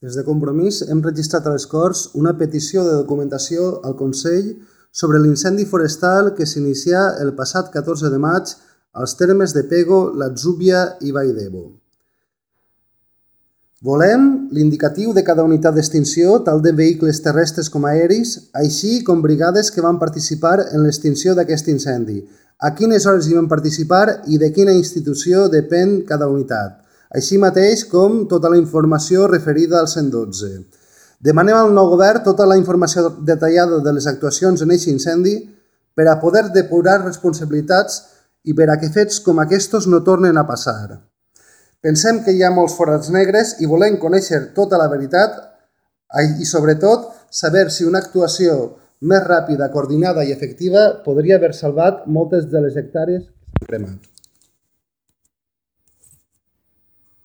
Des de Compromís hem registrat a les Corts una petició de documentació al Consell sobre l'incendi forestal que s'inicià el passat 14 de maig als termes de Pego, l'Atzúbia i Vall-d'Ebo. Volem l'indicatiu de cada unitat d'extinció, tant de vehicles terrestres com aeris, així com brigades que van participar en l'extinció d'aquest incendi, a quines hores hi van participar i de quina institució depèn cada unitat, així mateix com tota la informació referida al 112. Demanem al nou govern tota la informació detallada de les actuacions en aquest incendi per a poder depurar responsabilitats i per a que fets com aquests no tornen a passar. Pensem que hi ha molts forats negres i volem conèixer tota la veritat i, sobretot, saber si una actuació més ràpida, coordinada i efectiva podria haver salvat moltes de les hectàrees que s'han cremat.